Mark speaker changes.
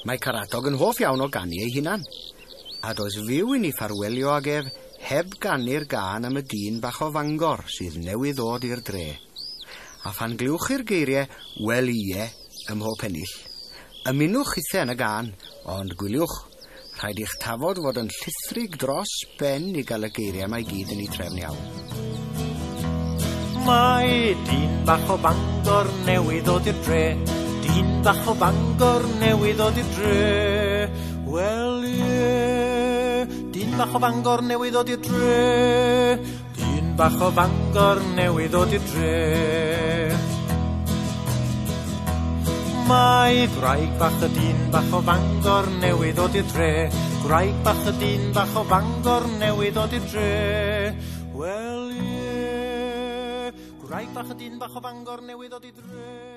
Speaker 1: Mae Caradog yn hoff iawn o ganu ei hunan, a does fyw i ni ffarwelio ag ef heb ganu'r gân am y dyn bach o Fangor sydd newydd ddod i'r dre. A phan glywch chi'r geiriau "Wel ie" ym mhob pennill, ymunwch chithe yn y gân, ond gwyliwch, rhaid i'ch tafod fod yn llithrig dros ben i gael y geiriau 'ma i gyd yn eu trefn iawn.
Speaker 2: Mae dyn bach o Fangor newydd ddod i'r dre. Dyn bach o Fangor newydd ddod i'r dre. Wel ie. Dyn bach o Fangor newydd ddod i'r dre. Dyn bach o Fangor newydd ddod i'r dre. Mae gwraig bach y dyn bach o Fangor newydd ddod i'r dre. Gwraig bach y dyn bach o Fangor newydd ddod i'r dre. Wel ie. Gwraig bach y dyn bach o Fangor newydd ddod i'r dre.